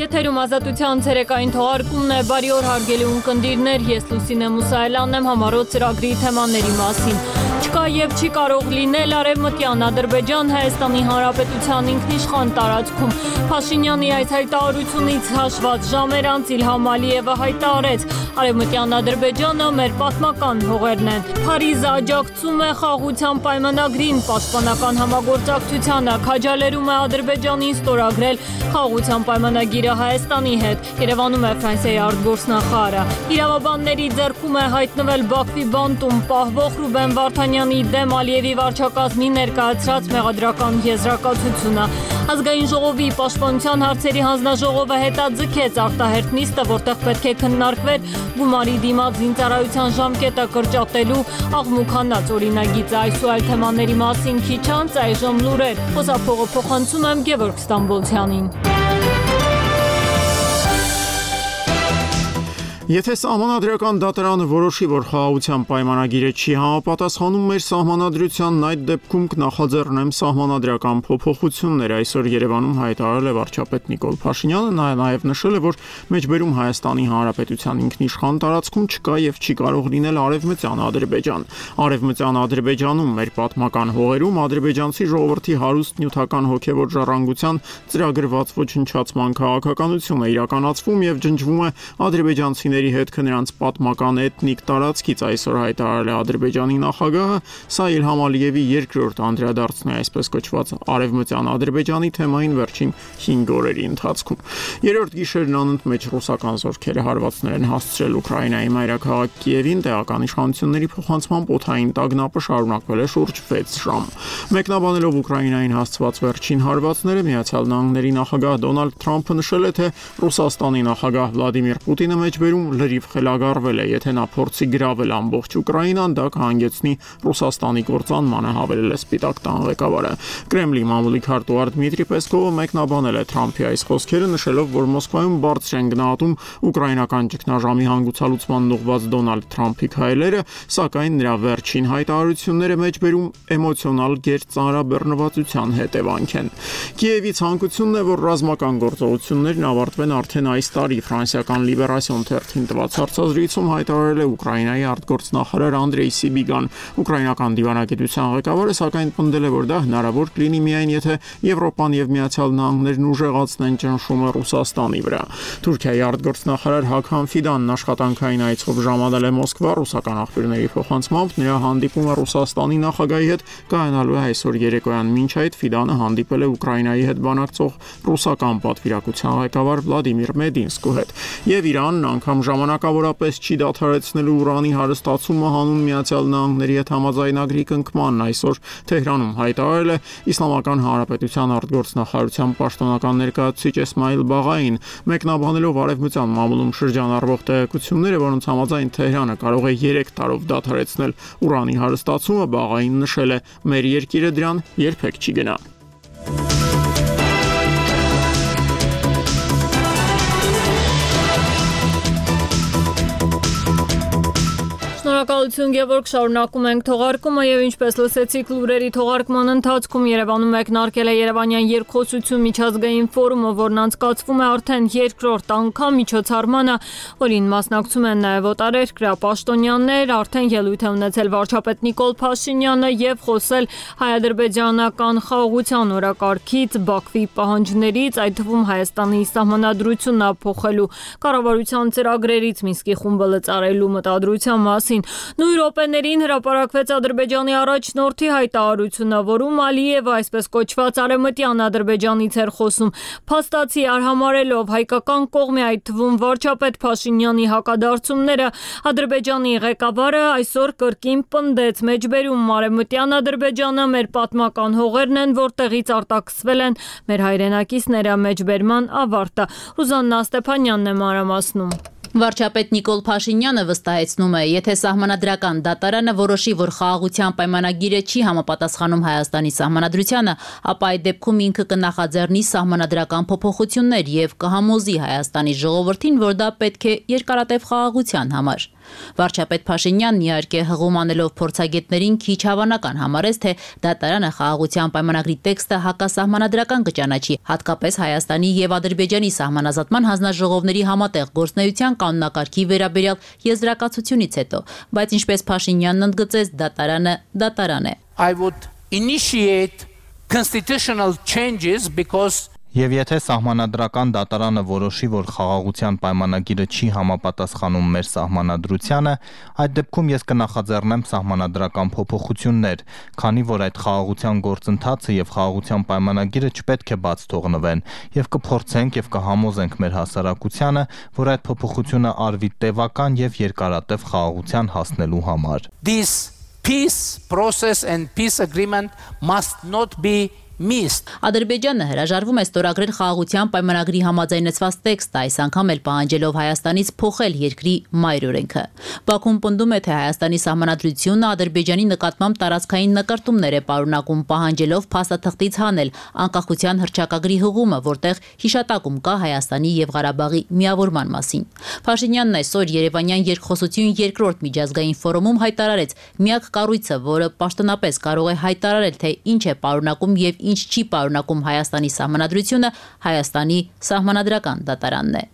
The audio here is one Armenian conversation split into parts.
Եթերում ազատության ցերեկային թողարկումն է, բարի օր հարգելի ունկնդիրներ, ես Լուսինե Մուսայելյանն եմ համառոտ ծրագրի թեմաների մասին։ Չկա եւ չի կարող լինել Արևմտյան Ադրբեջան Հայաստանի Հանրապետության ինքնիշխան տարածքում։ Փաշինյանի այս հայտարարությունից հաշված ժամեր անց Իլհամ Ալիևը հայտարարեց. Արևմտյան Ադրբեջանը մեր պատմական հողերն են։ Փարիզը աջակցում է խաղաղության պայմանագրին, պաշտպանական համագործակցությանը, քաջալերում է Ադրբեջանին ստորագրել խաղաղության պայմանագիրը Հայաստանի հետ։ Երևանում է Ֆրանսիայի արտգործնախարարը։ Իրավաբանների ձեռքում է հայտնվել Բաքվի բանտում պահվող Ռուբեն Վարդանյանի դեմ Ալիևի վարչակազմի ներկայացրած մեղադրական եզրակացությունը։ Ազգային ժողովի պաշտպանության հարցերի հանձնաժողովը հետաձգեց արտահերթ նիստը, որտեղ պետք է քննարկվեր գումարի դիմաց զինծառայության ժամկետը կրճատելու աղմուկանած օրինագիծը։ Այս ու այլ թեմաների մասին քիչ անց այժմ լուրեր։ Խոսափողը փոխանցում եմ Գևորգ Ստամբոլցյանին։ Եթե սահմանադրական դատարանը որոշի, որ խաղաղության պայմանագիրը չի համապատասխանում մեր սահմանադրությանն, այդ դեպքում կնախաձեռնեմ սահմանադրական փոփոխություններ, այսօր Երևանում հայտարարել է վարչապետ Նիկոլ Փաշինյանը, նաև նշել է, որ մեջբերում Հայաստանի Հանրապետության ինքնիշխան տարածքում չկա եւ չի կարող լինել Արևմտյան Ադրբեջան։ Արևմտյան Ադրբեջանում մեր պատմական հողերում ադրբեջանցի ժողովրդի հարուստ նյութական հոգեվոր ժառանգության ծրագրված ոչնչացման քաղաքականություն է իրականացվում եւ ջնջվում է ադրբեջանցիների հետ նրանց պատմական էթնիկ տարածքից, այսօր հայտարարել է Ադրբեջանի նախագահը, սա Իլհամ Ալիևի երկրորդ անդրադարձն է այսպես կոչված Արևմտյան Ադրբեջանի թեմային վերջին 5 օրերի ընթացքում։ Երրորդ գիշերն անընդմեջ ռուսական զորքերը հարվածներ են հասցրել Ուկրաինայի մայրաքաղաք Կիևին, տեղական իշխանությունների փոխանցմամբ օդային տագնապը շարունակվել է շուրջ 6 ժամ։ Մեկնաբանելով Ուկրաինային հասցված վերջին հարվածները, Միացյալ Նահանգների նախագահ Դոնալդ Թրամփը նշել է, թե Ռուսաստանի նախագահ Վլադիմիր Պուտինը մեջբերում լրիվ խելագարվել է, եթե նա փորձի գրավել ամբողջ Ուկրաինան, դա կհանգեցնի Ռուսաստանի կործանմանը, հավելել է Սպիտակ տան ղեկավարը։ Կրեմլի մամուլի քարտուղար Դմիտրի Պեսկովը մեկնաբանել է Թրամփի այս խոսքերը, նշելով, որ Մոսկվայում բարձր են գնահատում ուկրաինական ճգնաժամի հանգուցալուծման ուղղված Դոնալդ Թրամփի քայլերը, սակայն նրա վերջին հայտարարությունները մեջբերում էմոցիոնալ գերծանրաբեռնվածության հետևանք են։ Կիևի ցանկությունն է, որ ռազմական գործողություններն ավարտվեն արդեն այս տարի։ Ֆրանսիական Լիբերասիոն թերթին տված հարցազրույցում հայտարարել է Ուկրաինայի արտգործնախարար Անդրեյ Սիբիգան։ Ուկրաինական դիվանագիտության ղեկավարը սակայն պնդել է, որ դա հնարավոր կլինի միայն եթե Եվրոպան եւ Միացյալ Նահանգներն ուժեղացնեն ճնշումը Ռուսաստանի վրա։ Թուրքիայի արտգործնախարար Հաքան Ֆիդանն աշխատանքային այցով ժամանել է Մոսկվա, ռուսական աղբյուրների փոխանցմամբ նրա հանդիպումը Ռուսաստանի նախագահի հետ կայանալու է այսօր երեկոյան։ Մինչ այդ Ֆիդանը հանդիպել է Ուկրաինայի հետ բանակցող ռուսական պատվիրակության ղեկավար Վլադիմիր Մեդինսկու հետ։ Եվ Իրանն անգամ ժամանակավորապես չի դադարեցնելու ուրանի հարստացումը հանուն Միացյալ Նահանգների հետ համաձայնագրի կնքմանն, այսօր Թեհրանում հայտարարել է Իսլամական Հանրապետության արտգործնախարարության պաշտոնական ներկայացուցիչ Էսմայիլ Բաղային, մեկնաբանելով արևմտյան մամուլում շրջանառվող տեղեկությունները, որոնց համաձայն Թեհրանը կարող է 3 տարով դադարեցնել ուրանի հարստացումը, Բաղային նշել է. մեր երկիրը դրան երբեք չի գնա։ Շնորհակալություն Գևորգ, շարունակում ենք թողարկումը եւ ինչպես լսեցիք լուրերի թողարկման ընթացքում Երևանում մեկնարկել է Երևանյան երկխոսություն միջազգային ֆորումը, որն անցկացվում է արդեն երկրորդ անգամ միջոցառմանը, որին մասնակցում են նաեւ օտարերկրյա պաշտոնյաներ, արդեն ելույթ է ունեցել վարչապետ Նիկոլ Փաշինյանը եւ խոսել հայ-ադրբեջանական խաղաղության օրակարգից, Բաքվի պահանջներից, այդ թվում Հայաստանի սահմանադրությունն ապփոխելու կառավարության ծրագրերից Մինսկի խումբը լծարելու մտադրության մասին։ Նույն րոպեներին հրապարակվեց Ադրբեջանի առաջնորդի հայտարարությունը, որում Ալիևը այսպես կոչված արևմտյան Ադրբեջանից էր խոսում, փաստացի արհամարելով հայկական կողմի, այդ թվում վարչապետ Փաշինյանի հակադարձումները, Ադրբեջանի ղեկավարը այսօր կրկին պնդեց մեջբերում արևմտյան Ադրբեջանը մեր պատմական հողերն են, որտեղից արտաքսվել են մեր հայրենակիցները, մեջբերման ավարտը։ Ռուզաննա Ստեփանյանն է մանրամասնում։ Վարչապետ Նիկոլ Փաշինյանը վստահեցնում է, եթե սահմանադրական դատարանը որոշի, որ խաղաղության պայմանագիրը չի համապատասխանում Հայաստանի սահմանադրությանը, ապա այդ դեպքում ինքը կնախաձեռնի սահմանադրական փոփոխություններ եւ կհամոզի Հայաստանի ժողովրդին, որ դա պետք է երկարատև խաղաղության համար։ Վարչապետ Փաշինյանն իհարկե հղում անելով փորձագետներին քիչ հավանական համարեց, թե դատարանը խաղաղության պայմանագրի տեքստը հակասահմանադրական կճանաչի, հատկապես Հայաստանի եւ Ադրբեջանի սահմանազատման հանձնաժողովների համատեղ գործնեայության կանոնակարգի վերաբերյալ եզրակացությունից հետո, բայց ինչպես Փաշինյանն ընդգծեց, դատարան է։ I would initiate constitutional changes because Եվ եթե սահմանադրական դատարանը որոշի, որ խաղաղության պայմանագիրը չի համապատասխանում մեր սահմանադրությանը, այդ դեպքում ես կնախաձեռնեմ սահմանադրական փոփոխություններ, քանի որ այդ խաղաղության գործընթացը եւ խաղաղության պայմանագիրը չպետք է բաց թողնվեն, եւ կփորձենք եւ կհամոզենք մեր հասարակությանը, որ այդ փոփոխությունը արվի տևական եւ երկարատև խաղաղության հասնելու համար։ this peace process and peace agreement must not be missed. Ադրբեջանը հրաժարվում է ստորագրել խաղաղության պայմանագրի համաձայնեցված տեքստը, այս անգամ էլ պահանջելով Հայաստանից փոխել երկրի մայր օրենքը։ Բաքուն պնդում է, թե Հայաստանի սահմանադրությունը Ադրբեջանի նկատմամբ տարածքային նկարտումներ է պարունակում, պահանջելով փաստաթղթից հանել անկախության հռչակագրի հղումը, որտեղ հիշատակում կա Հայաստանի եւ Ղարաբաղի միավորման մասին։ Փաշինյանն այսօր Երևանյան երկխոսություն երկրորդ միջազգային ֆորումում հայտարարեց, միակ կառույցը, որը պաշտոնապես կարող է հայտարարել, թե ինչ է պարունակում եւ ինչ չի պարունակում Հայաստանի սահմանադրությունը, Հայաստանի սահմանադրական դատարանն է։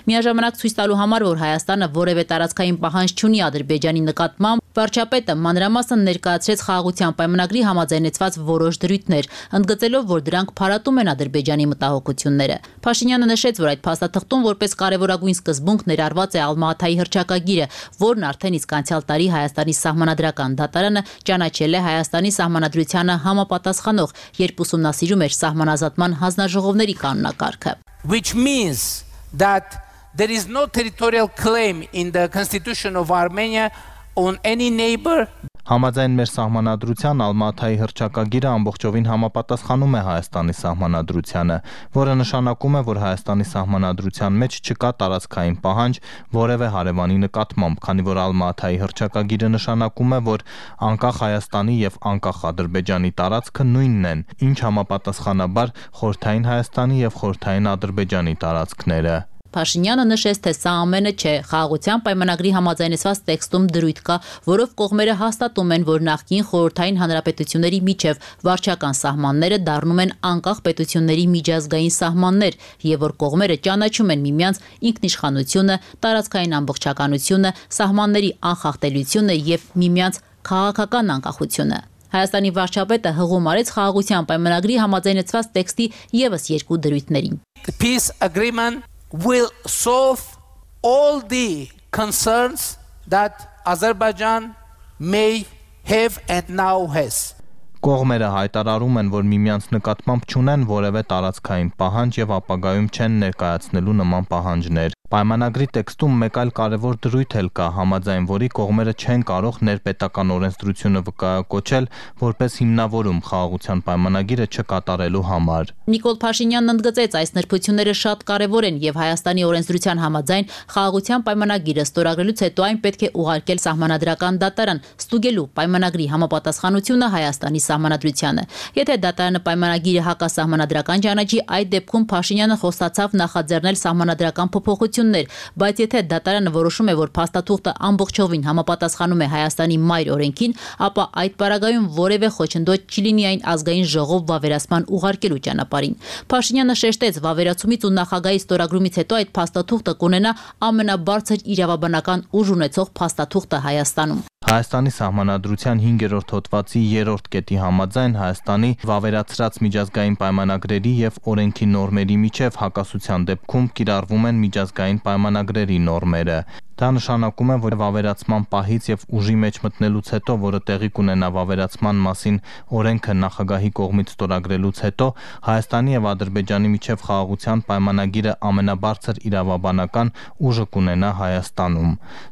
Միաժամանակ ցույց տալու համար, որ Հայաստանը որևէ տարածքային պահանջ չունի Ադրբեջանի նկատմամբ, վարչապետը մանրամասն ներկայացրեց խաղաղության պայմանագրի համաձայնեցված որոշ դրույթներ, ընդգծելով, որ դրանք փարատում են Ադրբեջանի մտահոգությունները։ Փաշինյանը նշեց, որ այդ փաստաթղթում որպես կարևորագույն սկզբունք ներառված է Ալմա-Աթայի հռչակագիրը, որն արդեն իսկ անցյալ տարի Հայաստանի սահմանադրական դատարանը ճանաչել է Հայաստանի սահմանադրությանը համապատասխանող, երբ ուսումնասիրում էր սահմանազատման հանձնաժողովների կանոնակարգը։ Which means that there is no territorial claim in the constitution of Armenia on any neighbor. Համաձայն մեր սահմանադրության Ալմա-Աթայի հռչակագիրը ամբողջովին համապատասխանում է Հայաստանի սահմանադրությանը, որը նշանակում է, որ Հայաստանի սահմանադրության մեջ չկա տարածքային պահանջ որևէ հարևանի նկատմամբ, քանի որ Ալմա-Աթայի հռչակագիրը նշանակում է, որ անկախ Հայաստանի եւ անկախ Ադրբեջանի տարածքը նույնն են, ինչ համապատասխանաբար Խորհրդային Հայաստանի եւ Խորհրդային Ադրբեջանի տարածքները։ Փաշինյանը նշեց, թե սա ամենը չէ, խաղաղության պայմանագրի համաձայնեցված տեքստում դրույթ կա, որով կողմերը հաստատում են, որ նախկին խորհրդային հանրապետությունների միջև վարչական սահմանները դառնում են անկախ պետությունների միջազգային սահմաններ եւ որ կողմերը ճանաչում են միմյանց ինքնիշխանությունը, տարածքային ամբողջականությունը, սահմանների անխախտելիությունը եւ միմյանց քաղաքական անկախությունը։ Հայաստանի վարչապետը հղում արեց խաղաղության պայմանագրի համաձայնեցված տեքստի եւս երկու դրույթներին։ The peace agreement will solve all the concerns that Azerbaijan may have and now has. Կողմերը հայտարարում են, որ միմյանց նկատմամբ չունեն որևէ տարածքային պահանջ եւ ապագայում չեն ներկայացնելու նման պահանջներ։ Պայմանագրի տեքստում մեկ այլ կարևոր դրույթ էլ կա, համաձայն որի կողմերը չեն կարող ներպետական օրենսդրությունը վկայակոչել որպես հիմնավորում խաղաղության պայմանագիրը չկատարելու համար։ Նիկոլ Փաշինյանն ընդգծեց, այս նրբությունները շատ կարևոր են եւ Հայաստանի օրենսդրության համաձայն խաղաղության պայմանագիրը ստորագրելուց հետո այն պետք է ուղարկել սահմանադրական դատարան, ստուգելու պայմանագրի համապատասխանությունը Հայաստանի սահմանադրությանը։ Եթե դատարանը պայմանագիրը հակասահմանադրական ճանաչի, այդ դեպքում Փաշինյանը խոստացավ նախաձեռնել սահմանադրական փոփոխություններ, բայց եթե դատարանը որոշում է, որ փաստաթուղթը ամբողջովին համապատասխանում է Հայաստանի մայր օրենքին, ապա այդ պարագայում որևէ խոչընդոտ չի լինի այն ազգային ժողով վավերացման ուղարկելու ճանապարհին։ Փաշինյանը շեշտեց, վավերացումից ու նախագահի ստորագրումից հետո այդ փաստաթուղթը կունենա ամենաբարձր իրավաբանական ուժ ունեցող փաստաթուղթը Հայաստանում։ Հայաստանի սահմանադրության 5-րդ հոդվածի 3-րդ կետի համաձայն Հայաստանի վավերացրած միջազգային պայմանագրերի եւ օրենքի նորմերի միջև հակասության դեպքում կիրառվում են միջազգային պայմանագրերի նորմերը։ Դա նշանակում է, որ վավերացման պահից եւ ուժի մեջ մտնելուց հետո, որը տեղի կունենա վավերացման մասին օրենքը նախագահի կողմից ստորագրելուց հետո, Հայաստանի եւ Ադրբեջանի միջև խաղաղության պայմանագիրը ամենաբարձր իրավաբանական ուժը կունենա Հայաստանում։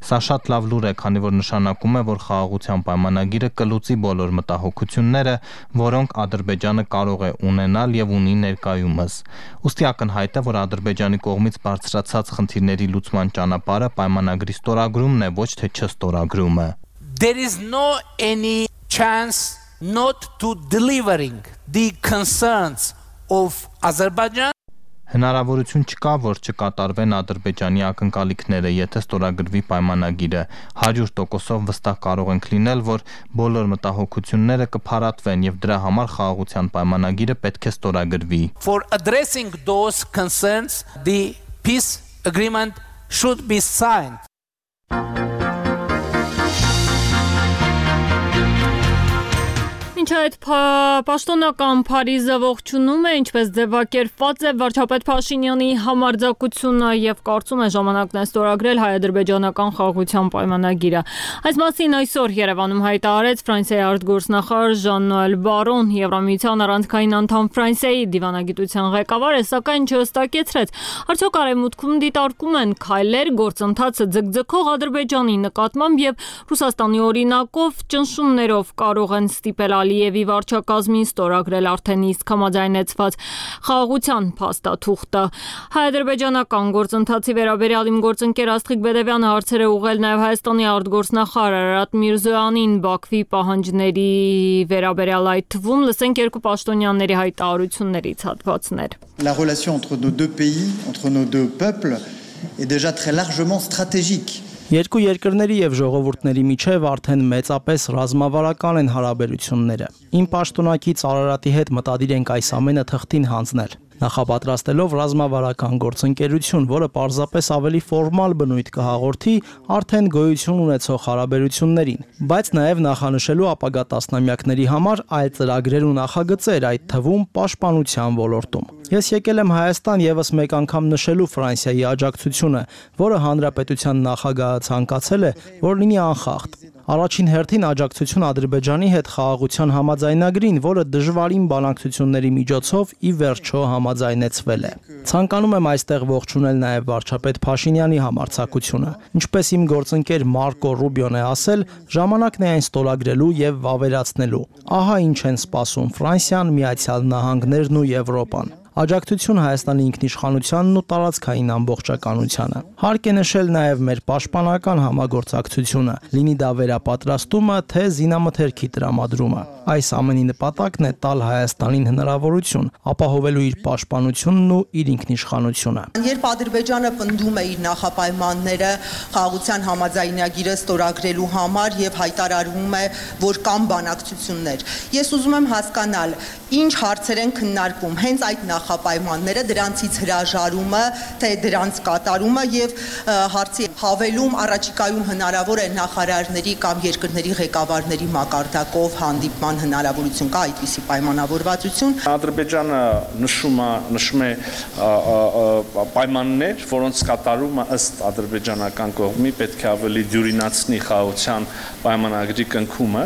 Սա շատ լավ լուր է, քանի որ նշանակում է, որ խաղաղության պայմանագիրը կլուծի բոլոր մտահոգությունները, որոնք Ադրբեջանը կարող է ունենալ եւ ունի ներկայումս։ Ուստի ակնհայտ է, որ Ադրբեջանի կողմից բարձրացած խնդիրների լուծման ճանապարհը պայմանագրի ստորագրումն է, ոչ թե չստորագրումը։ There is no any chance not to delivering the concerns of Azerbaijan. Հնարավորություն չկա, որ չկատարվեն Ադրբեջանի ակնկալիքները, եթե ստորագրվի պայմանագիրը։ 100%-ով վստահ կարող ենք լինել, որ բոլոր մտահոգությունները կփարատվեն եւ դրա համար խաղաղության պայմանագիրը պետք է ստորագրվի։ For addressing those concerns, the peace agreement should be signed. Ինչ այդ պաշտոնական Փարիզը ողջունում է, ինչպես ձևակերպված է վարչապետ Փաշինյանի համարձակությունը եւ կարծում է ժամանակն է ստորագրել հայ-ադրբեջանական խաղաղության պայմանագիրը։ Այս մասին այսօր Երևանում հայտարարեց Ֆրանսիայի արտգործնախարար Ժան-Նոել Բարոն, Եվրամիության առանցքային անդամ Ֆրանսիայի դիվանագիտության ղեկավարը, սակայն չհստակեցրեց, արդյոք արևմուտքում դիտարկում են քայլեր գործընթացը ձգձգող Ադրբեջանի նկատմամբ եւ Ռուսաստանի օրինակով ճնշումներով կարող են ստիպել Ալիևի վարչակազմին ստորագրել արդեն իսկ համաձայնեցված խաղաղության փաստաթուղթը։ Հայ-ադրբեջանական գործընթացի վերաբերյալ իմ գործընկեր Աստղիկ Բեդևյանը հարցեր է ուղղել նաև Հայաստանի արտգործնախարար Արարատ Միրզոյանին Բաքվի պահանջների վերաբերյալ, այդ թվում լսենք երկու պաշտոնյաների հայտարարություններից հատվածներ։ La relation entre nos deux pays, entre nos deux peuples est déjà très largement stratégique. Երկու երկրների եւ ժողովուրդների միջև արդեն մեծապես ռազմավարական են հարաբերությունները։ Իմ պաշտոնակից Արարատի հետ մտադիր ենք այս ամենը թղթին հանձնել։ Նախապատրաստելով ռազմավարական գործընկերություն, որը պարզապես ավելի ֆորմալ բնույթ կհաղորդի արդեն գոյություն ունեցող հարաբերություններին, բայց նաև նախանշելու ապագա տասնամյակների համար այլ ծրագրեր ու նախագծեր, այդ թվում պաշտպանության ոլորտում։ Ես եկել եմ Հայաստան եւս մեկ անգամ նշելու Ֆրանսիայի աջակցությունը, որը հանրապետության նախագահը ցանկացել է, որ լինի անխախտ։ Առաջին հերթին աջակցություն Ադրբեջանի հետ խաղաղության համաձայնագրին, որը դժվարին բանակցությունների միջոցով ի վերջո համաձայնեցվել է։ Ցանկանում եմ այստեղ ողջունել նաև վարչապետ Փաշինյանի համարձակությունը։ Ինչպես իմ գործընկեր Մարկո Ռուբիոն է ասել, ժամանակն է այն ստորագրելու եւ վավերացնելու։ Ահա ինչ են սպասում Ֆրանսիան, Միացյալ Նահանգներն ու Եվրոպան։ Աջակցություն Հայաստանի ինքնիշխանությանն ու տարածքային ամբողջականությանը։ Հարկ է նշել նաև մեր պաշտպանական համագործակցությունը, լինի դա վերապատրաստումը, թե զինամթերքի տրամադրումը։ Այս ամենի նպատակն է տալ Հայաստանին հնարավորություն ապահովելու իր պաշտպանությունն ու իր ինքնիշխանությունը։ Երբ Ադրբեջանը պնդում է իր նախապայմանները խաղաղության համաձայնագիրը ստորագրելու համար եւ հայտարարում է, որ կան բանակցություններ, ես ուզում եմ հասկանալ, ինչ հարցեր են քննարկվում հենց այդ նախապայմանները, դրանցից հրաժարումը, թե դրանց կատարումը եւ հարցի հավելում առաջիկայում հնարավոր է նախարարների կամ երկրների ղեկավարների մակարդակով հանդիպման հնարավորություն կա այդպիսի պայմանավորվածություն։ Ադրբեջանը նշում է պայմաններ, որոնց կատարումը ըստ ադրբեջանական կողմի պետք է ավելի դյուրինացնի խաղաղության պայմանագրի կնքումը,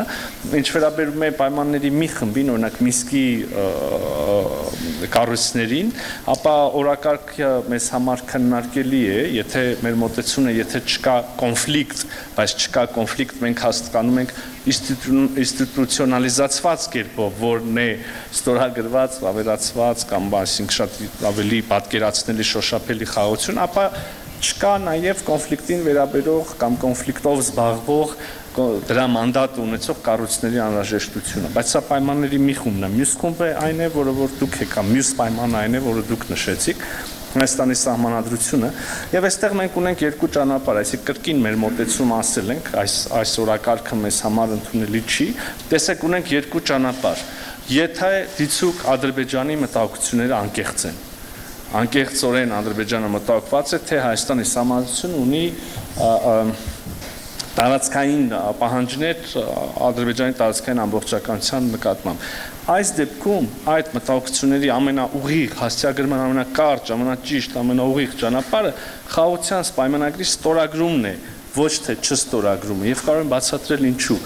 ինչ վերաբերում է պայմանների մի խմբին, օրինակ Միսկի կառույցներին, ապա օրակարգը մեզ համար քննարկելի է, եթե մեր մոտեցումը, եթե չկա կոնֆլիկտ, բայց չկա կոնֆլիկտ, մենք հասկանում ենք ինստիտուցիոնալիզացված կերպով, որն է ստորագրված, ավերացված կամ այսինքն շատ ավելի պատկերացնելի շոշափելի խաղաղություն, ապա չկա նաև կոնֆլիկտին վերաբերող կամ կոնֆլիկտով զբաղվող դրա մանդատ ունեցող կառույցների անհրաժեշտությունը, բայց սա պայմանների մի խումբն է։ Մյուս խումբը այն է, որը որ դուք եք, մյուս պայմանը այն է, որը դուք նշեցիք, Հայաստանի սահմանադրությունը, եւ այստեղ մենք ունենք երկու ճանապարհ, այսինքն կրկին մեր մոտեցումը ասել ենք, այս օրակարգը մեզ համար ընդունելի չի, տեսեք ունենք երկու ճանապարհ։ Եթե դիցուկ Ադրբեջանի մտահոգությունները անկեղծ են, անկեղծորեն Ադրբեջանը մտահոգված է, թե Հայաստանի սահմանադրությունը ունի տարածքային պահանջներ Ադրբեջանի տարածքային ամբողջականության նկատմամբ։ Այս դեպքում այդ մտահոգությունների ամենաուղիղ, հասցեագրման ամենակարճ, ամենաճիշտ, ամենաուղիղ ճանապարհը խաղաղության պայմանագրի ստորագրումն է, ոչ թե չստորագրումը, եւ կարող եմ բացատրել ինչու։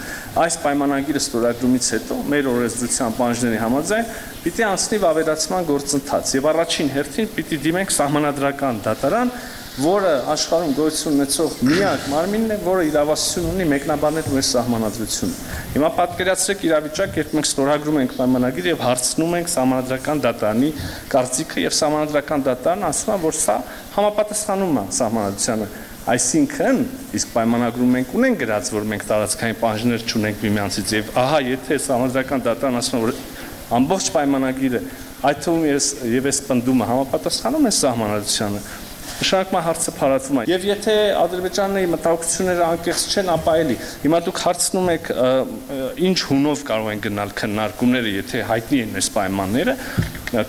Այս պայմանագիրը ստորագրումից հետո մեր օրենսդրության պահանջների համաձայն պիտի անցնի վավերացման գործընթաց եւ առաջին հերթին պիտի դիմենք սահմանադրական դատարան, որը աշխարհում գոյություն ունեցող միակ մարմինն է, որը իրավասություն ունի մեկնաբանել մեր սահմանադրությունը։ Հիմա պատկերացրեք իրավիճակ, երբ մենք ստորագրում ենք պայմանագիր եւ հարցնում ենք սահմանադրական դատարանի կարծիքը եւ սահմանադրական դատարանը ասում է, որ սա համապատասխանում է սահմանադրությանը։ Այսինքն, իսկ պայմանագրում մենք ունենք գրած, որ մենք տարածքային պահանջներ չունենք միմյանցից եւ ահա եթե սահմանադրական դատարան ասում է, որ ամբողջ պայմանագիրը այդ թվում եւ այս պնդումը համապատասխանում է սահմանադրությանը, նշանակում է հարցը փարատվում է։ Եվ եթե ադրբեջանների մտահոգությունները անկեղծ չեն, ապա էլի հիմա դուք հարցնում եք ինչ հունով կարող են գնալ քննարկումները, եթե հայտնի են այս պայմանները,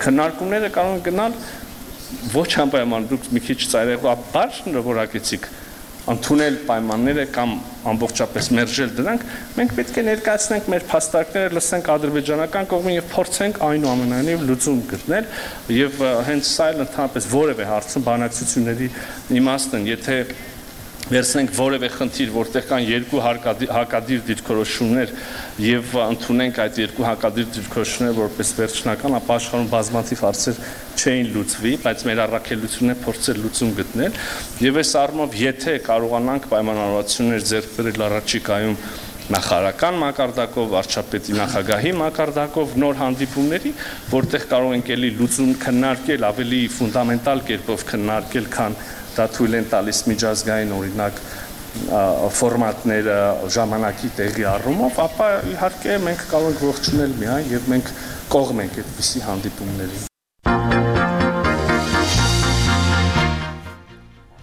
քննարկումները կարող են գնալ ոչ անպայման, դուք մի քիչ ծայրահեղ որակեցիք ընդունել պայմանները կամ ամբողջապես մերժել դրանք, մենք պետք է ներկայացնենք մեր փաստարկները, լսենք ադրբեջանական կողմին եւ փորձենք այնուամենայնիվ լուծում գտնել եւ հենց սա էլ ընդհանրապես որևէ հարցում բանակցությունների իմաստն, եթե վերցնենք որևէ խնդիր, որտեղ կան երկու հակադիր դիրքորոշումներ եւ ընդունենք այդ երկու հակադիր դիրքորոշումները որպես վերջնական, ապա աշխարհում բազմաթիվ հարցեր չէին լուծվի, բայց մեր առաքելությունն է փորձել լուծում գտնել եւ այս առումով եթե կարողանանք պայմանավորվածություններ ձեռք բերել առաջիկայում նախարարական մակարդակով, վարչապետի նախագահի մակարդակով նոր հանդիպումների, որտեղ կարող ենք ելի լուծում քննարկել ավելի ֆունդամենտալ կերպով քննարկել, քան դա թույլ են տալիս միջազգային օրինակ ֆորմատները ժամանակի տեղի առումով, ապա իհարկե մենք կարող ենք ողջունել միայն եւ մենք կողմ ենք այդպիսի հանդիպումների։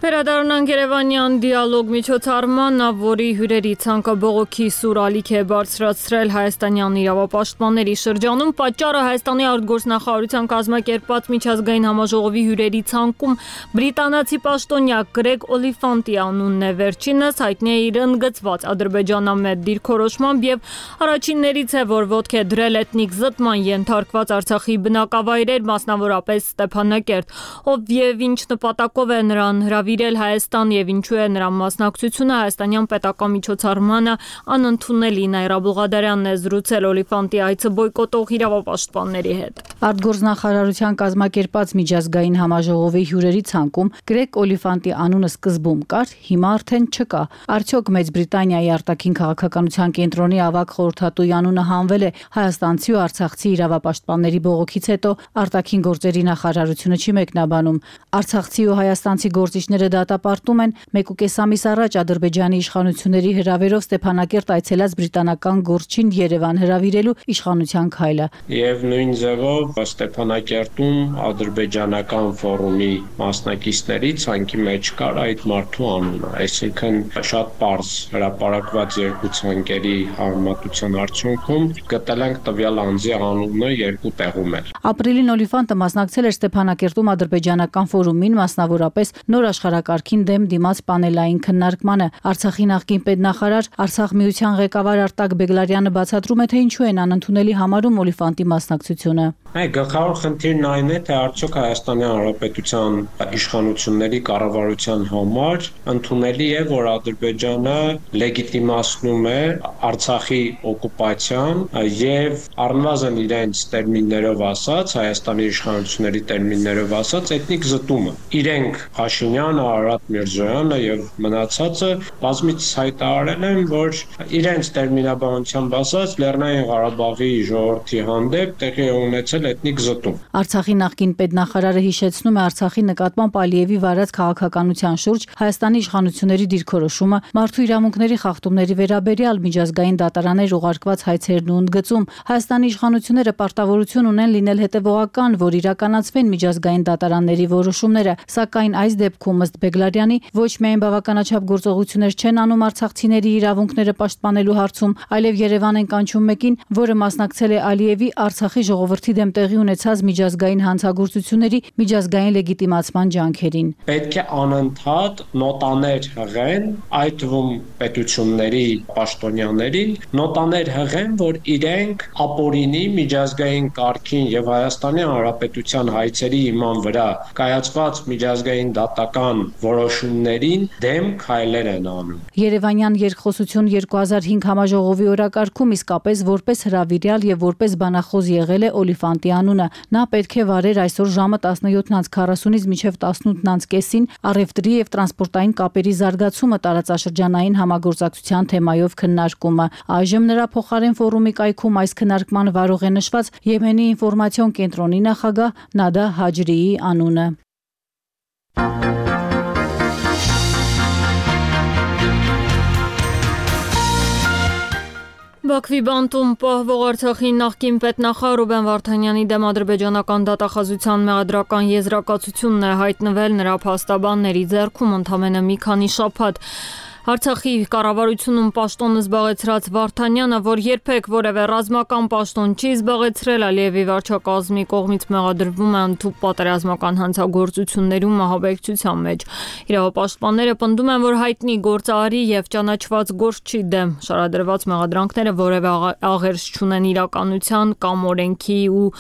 Վերադառնանք Երևանյան դիալոգ միջոցառմանը, որի հյուրերի ցանկը բողոքի սուր ալիք է բարձրացրել հայաստանյան իրավապաշտպանների շրջանում, պատճառը Հայաստանի արտգործնախարարության կազմակերպած միջազգային համաժողովի հյուրերի ցանկում բրիտանացի պաշտոնյա Գրեգ Օլիֆանտի անունն է, վերջինս հայտնի է իր ընդգծված ադրբեջանամետ դիրքորոշմամբ եւ առաջիններից է, որ ոտք է դրել էթնիկ զտման ենթարկված Արցախի բնակավայրեր, մասնավորապես Ստեփանակերտ, ով եւ ինչ նպատակով է նրան հրավիրել Հայաստան եւ ինչու է նրա մասնակցությունը հայաստանյան պետական միջոցառմանը անընդունելի։ Նաիրա Բուղադարյանն է զրուցել Օլիֆանտի այցը բոյկոտող իրավապաշտպանների հետ։ Արտգործնախարարության կազմակերպած միջազգային համաժողովի հյուրերի ցանկում Գրեգ Օլիֆանտի անունը սկզբում կար, հիմա արդեն չկա։ Արդյոք Մեծ Բրիտանիայի արտաքին քաղաքականության կենտրոնի ավագ խորհրդատուի անունը հանվել է հայաստանցի ու արցախցի իրավապաշտպանների բողոքից հետո արտաքին գործերի նախարարությունը չի մեկնաբանում։ Արցախցի ու հայաստանցի գործիչները դատապարտում են 1.5 ամիս առաջ Ադրբեջանի իշխանությունների հրավերով Ստեփանակերտ այցելած բրիտանական գործչին Երևան հրավիրելու իշխանության քայլը։ Եվ նույն ձևով Ստեփանակերտում ադրբեջանական ֆորումի մասնակիցների ցանկի մեջ կար այդ մարդու անունը, այսինքն շատ պարզ հրապարակված երկու ցանկերի համեմատության արդյունքում գտել ենք տվյալ անձի անունը երկու տեղում էլ։ Ապրիլին Օլիֆանտը մասնակցել էր Ստեփանակերտում ադրբեջանական ֆորումին, մասնավորապես նոր աշխարհակարգին դեմ դիմաց պանելային քննարկմանը։ Արցախի նախկին պետնախարար, Արցախ միության ղեկավար Արտակ Բեգլարյանը բացատրում է, թե ինչու են անընդունելի համարում Օլիֆանտի մասնակցությունը։ Գլխավոր խնդիրն այն է, թե արդյոք Հայաստանի Հանրապետության իշխանությունների կառավարության համար ընդունելի է, որ Ադրբեջանը լեգիտիմացնում է Արցախի օկուպացիան եւ առնվազն իրենց տերմիններով ասած, Հայաստանի իշխանությունների տերմիններով ասած, էթնիկ զտումը։ Իրենք Փաշինյանը, Արարատ Միրզոյանը եւ մնացածը բազմիցս հայտարարել են, որ իրենց տերմինաբանությամբ ասած Լեռնային Ղարաբաղի ժողովրդի հանդեպ տեղի է ունեցել էթնիկ զտում։ Արցախի նախկին պետնախարարը հիշեցնում է Արցախի նկատմամբ Ալիևի վարած քաղաքականության շուրջ Հայաստանի իշխանությունների դիրքորոշումը, մարդու իրավունքների խախտումների վերաբերյալ միջազգային դատարաններ ուղարկված հայցերն ու ընդգծում։ Հայաստանի իշխանությունները պարտավորություն ունեն լինել հետևողական, որ իրականացվեն միջազգային դատարանների որոշումները, սակայն այս դեպքում ըստ Բեգլարյանի ոչ միայն բավականաչափ գործողություններ չեն անում արցախցիների իրավունքները պաշտպանելու հարցում, այլև Երևան են կանչում մեկին, որը մասնակցել է Ալիևի Արցախի ժողովրդի դեմ տեղի ունեցած միջազգային հանցագործությունների միջազգային լեգիտիմացման ջանքերին։ Պետք է անընդհատ նոտաներ հղեն, այդ թվում պետությունների պաշտոնյաներին, նոտաներ հղեն, որ իրենք ապօրինի միջազգային կարգին եւ Հայաստանի Հանրապետության հայցերի հիման վրա կայացված միջազգային դատական որոշումներին դեմ քայլեր են անում։ Երևանյան երկխոսություն 2005 համաժողովի օրակարգում իսկապես որպես հրավիրյալ եւ որպես բանախոս եղել է Օլիֆանտի անունը։ Նա պետք է վարեր այսօր ժամը 17:40-ից մինչև 18:30-ին առևտրի եւ տրանսպորտային կապերի զարգացումը տարածաշրջանային համագործակցության թեմայով քննարկումը։ Այժմ նրա փոխարեն ֆորումի կայքում այս քննարկման վարող է նշված Եմենի ինֆորմացիոն կենտրոնի նախագահ Նադա Հաջրիի անունը։ Բաքվի բանտում պահվող Արցախի նախկին պետնախարար Ռուբեն Վարդանյանի դեմ ադրբեջանական դատախազության մեղադրական եզրակացությունն է հայտնվել նրա փաստաբանների ձեռքում ընդամենը մի քանի շաբաթ։ Արցախի կառավարությունում պաշտոնը զբաղեցրած Վարդանյանը, որ երբեք որևէ ռազմական պաշտոն չի զբաղեցրել, Ալիևի վարչակազմի կողմից մեղադրվում է ընդհանուր պատերազմական հանցագործություններում ահաբեկչության մեջ։ Իրավապաշտպանները պնդում են, որ հայտնի գործարարի եւ ճանաչված գործչի դեմ շարադրված մեղադրանքները որևէ աղերս չունեն իրականության կամ օրենքի ու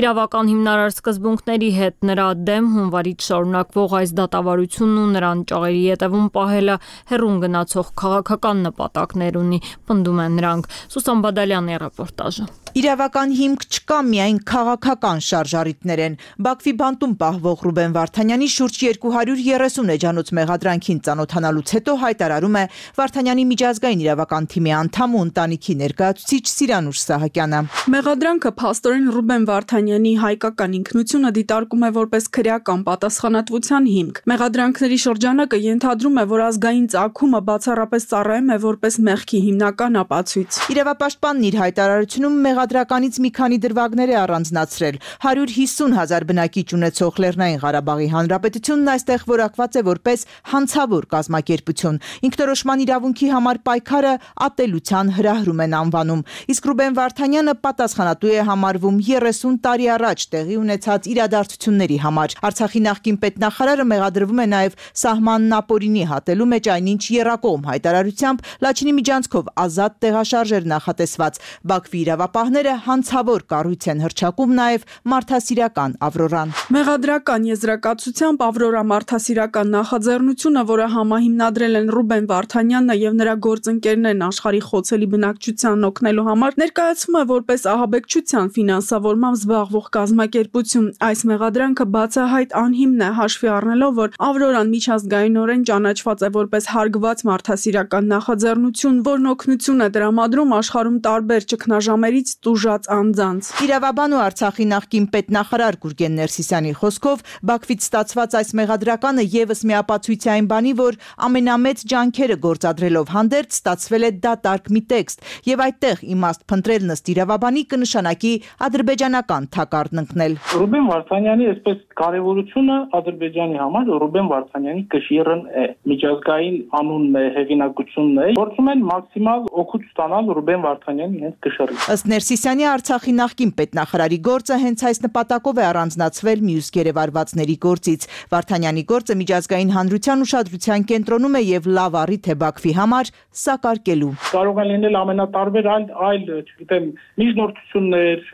իրավական հիմնարար սկզբունքների հետ։ Նրա դեմ հունվարից շարունակվող այս դատավարությունն ու նրան ճաղերի ետևում պահելը հեռուն գնացող քաղաքական նպատակներ ունի, պնդում են նրանք։ Սուսան Բադալյանի ռեպորտաժը։ Իրավական հիմք չկա, միայն քաղաքական շարժառիթներ են։ Բաքվի բանտում պահվող Ռուբեն Վարդանյանի շուրջ 230 էջանոց մեղադրանքին ծանոթանալուց հետո հայտարարում է Վարդանյանի միջազգային իրավական թիմի անդամ ու ընտանիքի ներկայացուցիչ Սիրանուշ Սահակյանը։ Մեղադրանքը փաստորեն Ռուբեն Վարդանյանի հայկական ինքնությունը դիտարկում է որպես քրեական պատասխանատվության հիմք։ Մեղադրանքների շրջանակը ենթադրում է, որ ազգային ծագումը բացառապես ծառայում է որպես մեղքի հիմնական ապացույց։ Իրավապաշտպանն իր հայտարարությունում մեղադրականից մի քանի դրվագներ է առանձնացրել։ 150,000 բնակիչ ունեցող Լեռնային Ղարաբաղի Հանրապետությունն այստեղ որակված է որպես հանցավոր կազմակերպություն։ Ինքնորոշման իրավունքի համար պայքարը ատելության հրահրում են անվանում։ Իսկ Ռուբեն Վարդանյանը պատասխանատու է համարվում 30 տարի առաջ տեղի ունեցած իրադարձությունների համար։ Արցախի նախկին պետնախարարը մեղադրվում է նաև սահմանն ապօրինի հատելու մեջ, այնինչ եռակողմ հայտարարությամբ Լաչինի միջանցքով ազատ տեղաշարժեր նախատեսված։ Բաքվի իրավապահները հանցավոր կառույց են հռչակում նաև մարդասիրական Ավրորան։ Մեղադրական եզրակացությամբ Ավրորա մարդասիրական նախաձեռնությունը, որը համահիմնադրել են Ռուբեն Վարդանյանն եւ նրա գործընկերներն աշխարհի խոցելի բնակչությանն օգնելու համար, ներկայացվում է որպես ահաբեկչության ֆինանսավորմամբ զբաղվող կազմակերպություն։ Այս մեղադրանքը բացահայտ անհիմն է, հաշվի առնելով, որ Ավրորան միջազգայինորեն ճանաչված է որպես հարգված մարդասիրական նախաձեռնություն, որն օգնություն է տրամադրում աշխարհում տարբեր ճգնաժամերից տուժած անձանց։ Իրավաբան ու Արցախի նախկին պետնախարար Գուրգեն Ներսիսյանի խոսքով Բաքվից ստացված այս մեղադրականը եւս մի ապացույց է այն բանի, որ ամենամեծ ջանքերը գործադրելով հանդերձ ստացվել է դատարկ մի տեքստ եւ այդտեղ իմաստ փնտրել ըստ իրավաբանի կնշանակի ադրբեջանական թակարդն ընկնել։ Ռուբեն Վարդանյանի այսպես կարևորությունը Ադրբեջանի համար Ռուբեն Վարդանյանի կշիռն է, միջազգային անունն է, հեղինակությունն է, փորձում են մաքսիմալ օգուտ ստանալ Ռուբեն Վարդանյանի հենց կշռից։ Ըստ Ներսիսյանի Արցախի նախկին պետնախարարի գործը հենց այս նպատակով է առանձնացվել մյուս գերեվարվածների գործից։ Վարդանյանի գործը միջազգային հանրության ուշադրության կենտրոնում է եւ լավ առիթ է Բաքվի համար սակարկելու։ Կարող են լինել ամենատարբեր այլ, չգիտեմ, միջնորդություններ,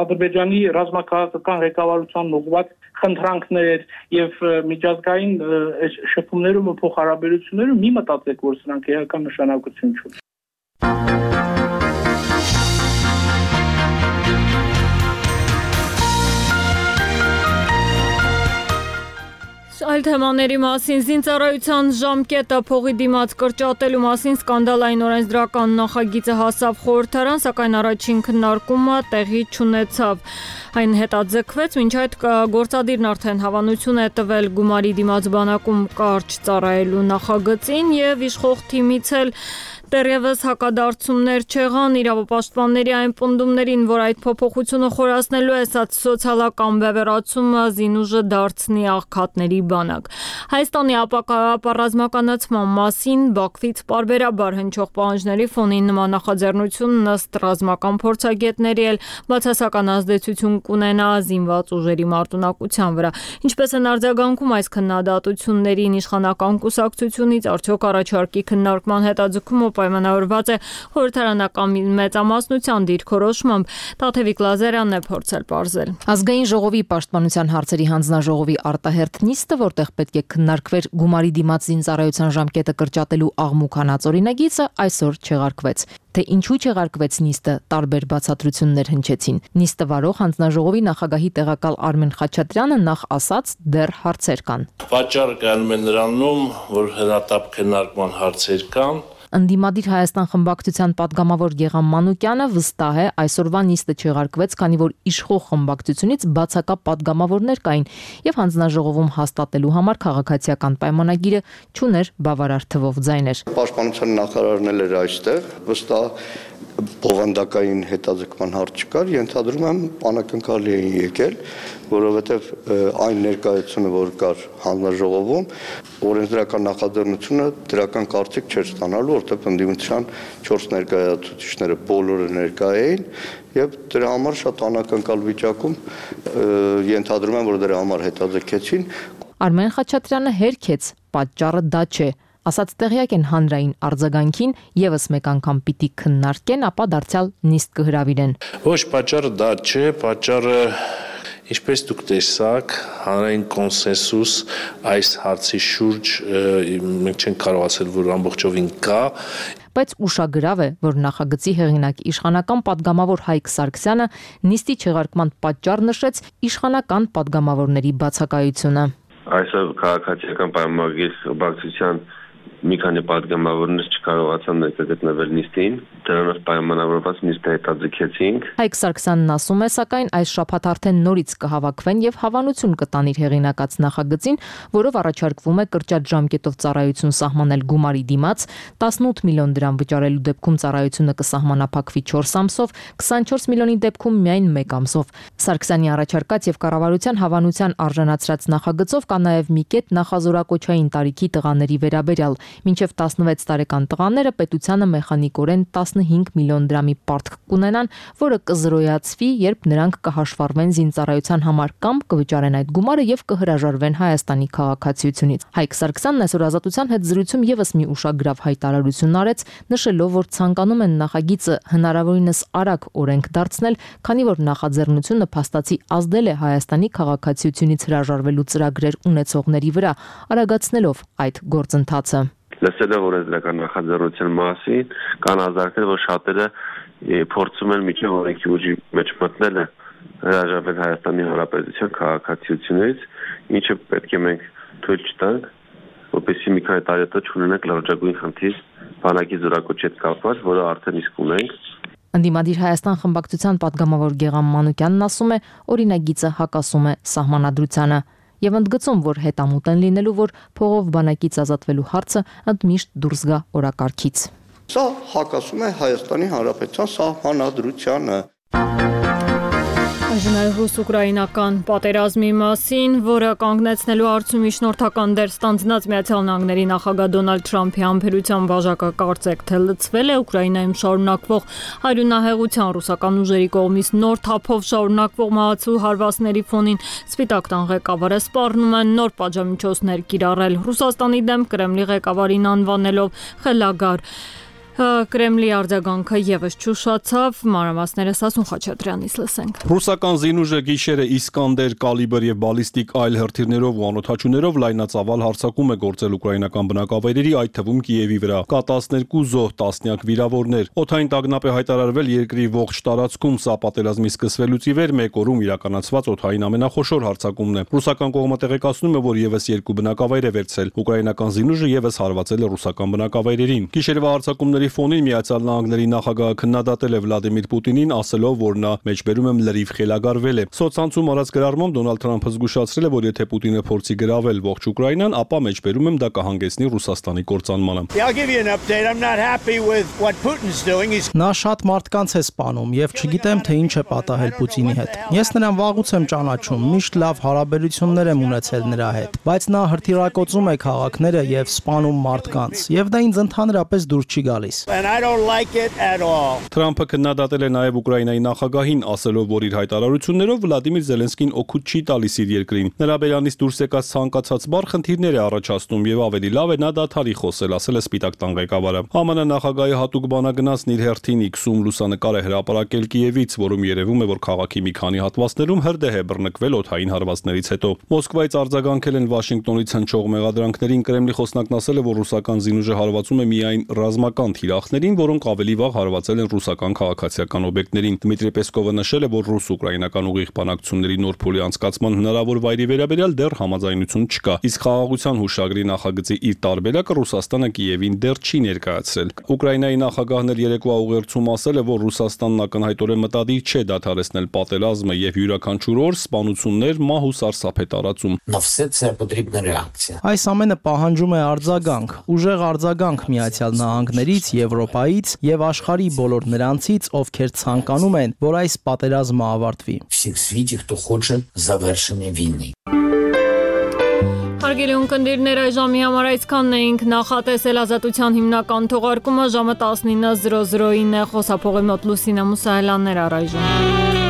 Ադրբեջանի ռազմաքաղաքական ղեկավարությանն ուղղված խնդրանքներ եւ միջազգային շփումներում ու փոխհարաբերություններում մի մտածեք, որ սրանք էական նշանակություն չունեն։ Այլ թեմաների մասին զինծառայության ժամկետը փողի դիմաց կրճատելու մասին սկանդալային օրենսդրական նախագիծը հասավ խորհրդարան, սակայն առաջին քննարկումը տեղի չունեցավ։ Այն հետաձգվեց, մինչ այդ գործադիրն արդեն հավանություն է տվել գումարի դիմաց բանակում կարճ ծառայելու նախագծին եւ իշխող թիմից էլ դեռևս հակադարձումներ չեղան իրավապաշտպանների այն պնդումներին, որ այդ փոփոխությունը խորացնելու է սոցիալական բևեռացումը զինուժը դարձնի աղքատների բանակ։ Հայաստանի ապառազմականացման մասին Բաքվից պարբերաբար հնչող պահանջների ֆոնին նման նախաձեռնությունն ըստ ռազմական փորձագետների էլ բացասական ազդեցություն կունենա զինված ուժերի մարտունակության վրա։ Ինչպես են արձագանքում այս քննադատություններին իշխանական կուսակցությունից, արդյոք առաջարկի քննարկման հետաձգումը պայմանավորված է խորհրդարանական մեծամասնության դիրքորոշմամբ, Տաթևիկ Լազարյանն է փորձել պարզել։ Ազգային ժողովի պաշտպանության հարցերի հանձնաժողովի արտահերթ նիստը, որտեղ պետք է քննարկվեր գումարի դիմաց զինծառայության ժամկետը կրճատելու աղմուկ հանած օրինագիծը, այսօր չեղարկվեց։ Թե ինչու չեղարկվեց նիստը, տարբեր բացատրություններ հնչեցին։ Նիստը վարող հանձնաժողովի նախագահի տեղակալ Արմեն Խաչատրյանը նախ ասաց, դեռ հարցեր կան։ Պատճառը կայանում է նրանում, որ հրատապ քննարկման հարցեր կան։ Ընդդիմադիր Հայաստան խմբակցության падգամավոր Գեգամ Մանուկյանը վստահ է, այսօրվա նիստը չեղարկվեց, քանի որ իշխող խմբակցությունից բացակա падգամավորներ կային եւ հանձնաժողովում հաստատելու համար քաղաքացիական պայմանագիրը չուներ բավարար թվով ձայներ։ Պաշտպանության նախարարն էլ էր այստեղ, վստահ բովանդակային հետաձգման հարց չկար, ենթադրում եմ անակնկալի էին եկել, որովհետև այն ներկայությունը, որ կար հանձնաժողովում, օրենսդրական նախաձեռնությունը դրական կարծիք չէր ստանալու, որովհետև ընդդիմության 4 ներկայացուցիչները բոլորը ներկա էին եւ դրա համար շատ անակնկալ վիճակում ենթադրում եմ, որ դրա համար հետաձգեցին։ Արմեն Խաչատրյանը հերքեց, պատճառը դա չէ։ Ասած տեղյակ են հանրային արձագանքին, եւս մեկ անգամ պիտի քննարկեն, ապա դարձյալ նիստ կհրավիրեն։ Ոչ, պատճառը դա չէ, պատճառը ինչպես դուք տեսաք, հանրային կոնսենսուս այս հարցի շուրջ մենք չենք կարող ասել, որ ամբողջովին կա։ Բայց ուշագրավ է, որ նախագծի հեղինակ իշխանական падգամավոր Հայկ Սարգսյանը նիստի չեղարկման պատճառ նշեց իշխանական падգամավորների բացակայությունը։ Այսօր քաղաքացիական պայմանագրի բացության մի քանի падգամավորներ չկարողացան ներկայացնել նիստին, դրանով պայմանավորված նիստը հետաձգեցինք։ Հայկ Սարգսյանն ասում է, սակայն այս շաբաթ արդեն նորից կհավաքվեն եւ հավանություն կտան իր հեղինակած նախագծին, որով առաջարկվում է կրճատ ժամկետով ծառայություն սահմանել գումարի դիմաց, 18 միլիոն դրամ վճարելու դեպքում ծառայությունը կսահմանափակվի 4 ամսով, 24 միլիոնի դեպքում միայն 1 ամսով։ Սարգսյանի առաջարկած եւ կառավարության հավանության արժանացրած նախագծով կա նաեւ մի կետ նախազորակոչային տարիքի տղաների վերաբերյալ։ Մինչև 16 տարեկան տղաները պետությանը մեխանիկորեն 15 միլիոն դրամի պարտք կունենան, որը կզրոյացվի, երբ նրանք կհաշվառվեն զինծառայության համար կամ կվճարեն այդ գումարը եւ կհրաժարվեն Հայաստանի քաղաքացիությունից։ Հայկ Սարգսյանն այսօր Ազատության հետ զրույցում եւս մի ուշագրավ հայտարարություն արեց, նշելով, որ ցանկանում են նախագիծը հնարավորինս արագ օրենք դարձնել, քանի որ նախաձեռնությունը փաստացի ազդել է Հայաստանի քաղաքացիությունից հրաժարվելու ծրագրեր ունեցողների վրա, արագացնելով այդ գործընթացը։ Լսելով օրենսդրական նախաձեռնության մասին, կան ազատներ, որ շատերը փորձում են միջև օրենքի ուժի մեջ մտնել հրաժարվել Հայաստանի Հանրապետության քաղաքացիությունից, ինչը պետք է մենք թույլ չտանք, որպեսզի մի քանի տարի հետո չունենանք լրջագույն խնդիր բանակի զորակոչի հետ կապված, որը արդեն իսկ ունենք։ Ընդդիմադիր Հայաստան խմբակցության падգամավոր Գեգամ Մանուկյանն ասում է, օրինագիծը հակասում է սահմանադրությանը եւ ընդգծում, որ հետամուտ են լինելու, որ փողով բանակից ազատվելու հարցը ընդմիշտ դուրս գա օրակարգից։ Սա հակասում է Հայաստանի Հանրապետության սահմանադրությանը։ Այժմ ռուս-ուկրաինական պատերազմի մասին, որը կանգնեցնելու հարցում միջնորդական դեր ստանձնած Միացյալ Նահանգների նախագահ Դոնալդ Թրամփի համբերության բաժակը կարծեք թե լցվել է Ուկրաինայում շարունակվող հայրենահեղության ռուսական ուժերի կողմից նոր թափով շարունակվող մահացու հարվածների ֆոնին Սպիտակ տան ղեկավարը սպառնում են նոր պատժամիջոցներ կիրառել Ռուսաստանի դեմ Կրեմլի ղեկավարին անվանելով խելագար։ Կրեմլի արձագանքը եւս չուշացավ, մանրամասները Սասուն Խաչատրյանից լսենք։ Ռուսական զինուժը գիշերը Իսկանդեր, կալիբր եւ բալիստիկ այլ հրթիռներով ու անօդաչուներով լայնածավալ հարձակում է գործել ուկրաինական բնակավայրերի, այդ թվում Կիևի վրա։ Կա 12 զոհ, տասնյակ վիրավորներ։ Օդային տագնապ է հայտարարվել երկրի ողջ տարածքում, սա պատերազմի սկսվելուց ի վեր մեկ օրում իրականացված օդային ամենախոշոր հարձակումն է։ Ռուսական կողմը տեղեկացնում է, որ եւս 2 բնակավայր է վերցել։ Ուկրաինական զինուժը եւս հարվածել է ռուսական բնակավայրերին։ Գիշերվա հարձակումների ֆոնին Միացյալ Նահանգների նախագահը քննադատել է Վլադիմիր Պուտինին, ասելով, որ նա մեջբերում եմ լրիվ խելագարվել է։ Սոցցանցում արած գրառմամբ Դոնալդ Թրամփը զգուշացրել է, որ եթե Պուտինը փորձի գրավել ողջ Ուկրաինան, ապա մեջբերում եմ դա կհանգեցնի Ռուսաստանի կործանմանը։ Նա շատ մարդկանց է սպանում եւ չգիտեմ թե ինչ է պատահել Պուտինի հետ։ Ես նրան վաղուց եմ ճանաչում, միշտ լավ հարաբերություններ եմ ունեցել նրա հետ, բայց նա հրթիռակոծում է քաղաքները եւ սպանում մարդկանց, եւ դա ինձ ընդհանրապես դուր չի գալիս։ Թրամփը քննադատել է նաև Ուկրաինայի նախագահին, ասելով, որ իր հայտարարություններով Վլադիմիր Զելենսկին օգուտ չի տալիս իր երկրին։ Նրա բերանից դուրս եկած ցանկացած բառ խնդիրներ է առաջացնում եւ ավելի լավ է նա դադարի խոսել, ասել է Սպիտակ տան ղեկավարը։ ԱՄՆ նախագահի հատուկ բանագնացն իր հերթին X-ում լուսանկար է հրապարակել Կիևից, որում երևում է, որ քաղաքի մի քանի հատվածներում հրդեհ է բռնկվել օդային հարվածներից հետո։ Մոսկվայից արձագանքել են Վաշինգտոնից հնչող մեղադրանքներին, Կրեմլի խոսնակն ասել է, որ ռուսական զինուժը հարվածում է միայն ռազմական թիրախներին, որոնք ավելի վաղ հարվածել են ռուսական քաղաքացիական օբյեկտներին։ Դմիտրի Պեսկովը նշել է, որ ռուս-ուկրաինական ուղիղ բանակցությունների նոր փուլի անցկացման հնարավոր վայրի վերաբերյալ դեռ համաձայնություն չկա։ Իսկ խաղաղության հուշագրի նախագծի իր տարբերակը Ռուսաստանը Կիևին դեռ չի ներկայացրել։ Ուկրաինայի նախագահն էլ երեկվա ուղերձում ասել է, որ Ռուսաստանն ակնհայտորեն մտադիր չէ դադարեցնել պատերազմը եւ յուրաքանչյուր օր սպանություններ, մահ ու սարսափ է տարածում։ Այս ամենը պահանջում է արձագանք, ուժեղ արձագանք Միացյալ Նահանգներից Եվրոպայից եւ աշխարհի բոլոր նրանցից, ովքեր ցանկանում են, որ այս պատերազմը ավարտվի։ Հարգելի ունկնդիրներ, այժմի համար այսքանն էինք, նախատեսել ազատության հիմնական թողարկումը ժամը 19:00-ին է, խոսափողի մոտ Լուսինե Մուսայելյաններ առայժմ։